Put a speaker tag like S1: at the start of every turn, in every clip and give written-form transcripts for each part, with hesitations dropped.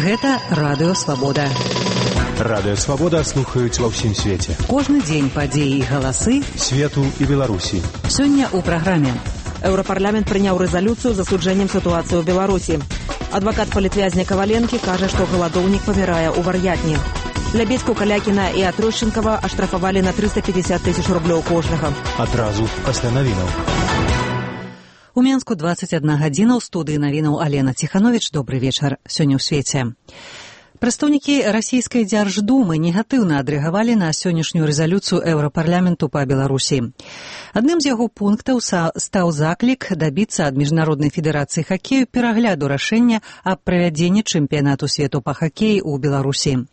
S1: Гэта Радыё Свабода.
S2: Радыё Свабода слухаюць ва ўсім свеце.
S1: Кожны дзень падзеі і галасы
S2: свету і Беларусі.
S1: Сёння ў праграме.
S3: Еўрапарламент прыняў рэзалюцыю з асуджэннем сітуацыі ў Беларусі. Адвакат палітвязня Каваленкі кажа, што галадоўнік памірае ў вар'ятні. Лябедзьку, Калякіна і Атрощенкава аштрафавалі на 350 тысяч рублёў кожнага.
S2: Адразу пасля навінаў.
S1: У Менску 21 гадзіна, ў студыі навінаў Алена Ціхановіч. Добры вечар. Сёння ў свеце. Прадстаўнікі расійскай дзярждумы негатыўна адрэагавалі на сённяшнюю рэзалюцыю Еўрапарламенту па Беларусі. Адным з яго пунктаў стаў заклік дабіцца ад Міжнароднай федэрацыі хакею перагляду рашэння аб правядзенні чэмпіянату свету па хакеі ў Беларусі.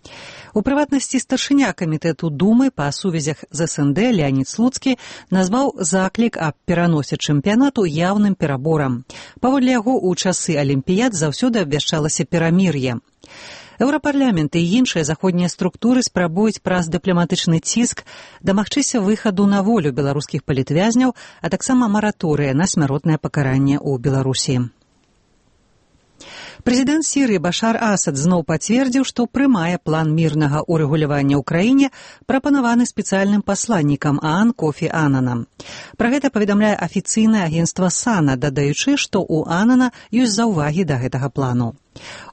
S1: У прыватнасці старшыня камітэту Думы па сувязях з СНД Леанід Слуцкі назваў заклік аб пераносе чэмпіянату яўным пераборам. Паводле яго, у часы алімпіяд заўсёды абвяшчалася перамір'е. Еўрапарламент і іншыя заходнія структуры спрабуюць праз дыпламатычны ціск дамагчыся выхаду на волю беларускіх палітвязняў, а таксама мараторыя на смяротнае пакаранне ў Беларусі. Прэзідэнт Сірыі Башар Асад зноў пацвердзіў, што прымае план мірнага ўрэгулявання ў краіне, прапанаваны спецыяльным пасланнікам ААН Кофі Ананам. Пра гэта паведамляе афіцыйнае агенцтва САНА, дадаючы, што ў Анана ёсць заўвагі да гэтага плану.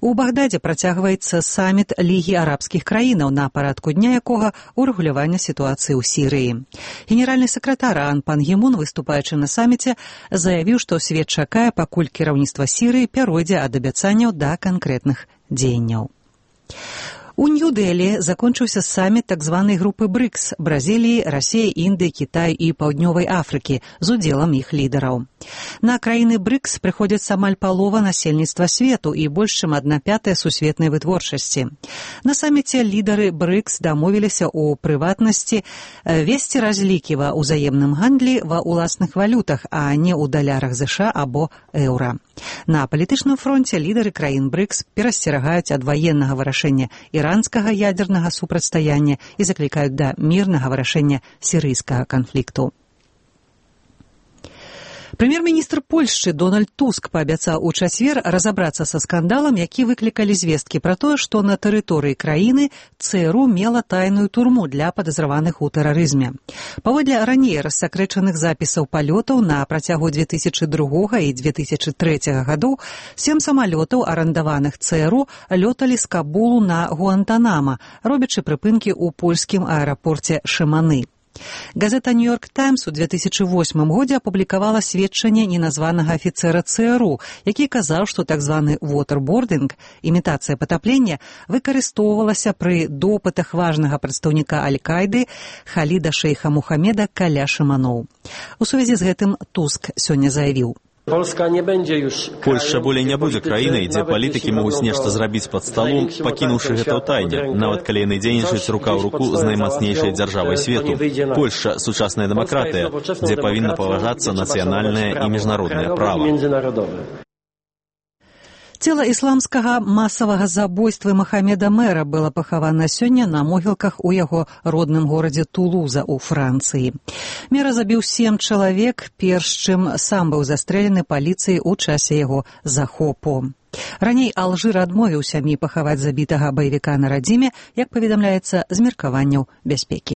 S1: У Багдадзе працягваецца саміт Лігі арабскіх краінаў, на парадку дня якога ўрэгулявання сітуацыі ў Сірыі. Генеральны сакратар ААН Пан Гі Мун, выступаючы на саміце, заявіў, што свет чакае, пакуль кіраўніцтва Сірыі пяройдзе ад абяцанняў да канкрэтных дзеянняў. У Нью-Дэлі закончыўся саміт так званай групы БРИКС – Бразіліі, Расіі, Індыі, Кітаю і Паўднёвай Афрыкі з удзелам іх лідараў. На краіны БРИКС прыходзіцца амаль палова насельніцтва свету і больш чым 1/5 сусветнай вытворчасці. На саміце лідары БРИКС дамовіліся ў прыватнасці весці разлікі ва ўзаемным гандлі ва ўласных валютах, а не ў далярах ЗША або еўра. На палітычным фронце лідары краін БРИКС перасцерагаюць ад ваеннага вырашэння іранскага ядзернага супрацьстаяння і заклікаюць да мірнага вырашэння сірыйскага канфлікту. Прэм'ер-міністр Польшчы Дональд Туск паабяцаў у чацвер разабрацца са скандалам, які выклікалі звесткі пра тое, што на тэрыторыі краіны ЦРУ мела тайную турму для падазраваных у тэрарызме. Паводле раней рассакрэчаных запісаў палётаў на працягу 2002 і 2003 гадоў 7 самалётаў, арандаваных ЦРУ, лёталі з Кабулу на Гуантанама, робячы прыпынкі ў польскім аэрапорце Шыманы. Газета «Нью-Йорк Таймс» у 2008 годзе апублікавала сведчанне неназванага афіцэра ЦРУ, які казаў, што так званы «вотербординг» – імітацыя патаплення – выкарыстоўвалася пры допытах важнага прадстаўніка Аль-Кайды Халіда шэйха Мухамеда каля Шыманоў. У сувязі з гэтым Туск сёння заявіў:
S4: Польшча болей не будзе краінай, дзе палітыкі могуць нешта зрабіць пад сталом, пакінуўшы гэта ў тайне, нават калі яны дзейнічаюць рука ў руку з наймацнейшай дзяржавай свету. Польшча – сучасная дэмакратыя, дзе павінна паважацца нацыянальнае і міжнароднае права.
S1: Цела ісламскага масавага забойства Махамеда Мэра было пахавана сёння на могілках у яго родным горадзе Тулуза ў Францыі. Мэра забіў 7 чалавек, перш чым сам быў застрэлены паліцыяй у часе яго захопу. Раней Алжыр адмовіў сям'і пахаваць забітага баевіка на радзіме, як паведамляецца, з меркаванняў бяспекі.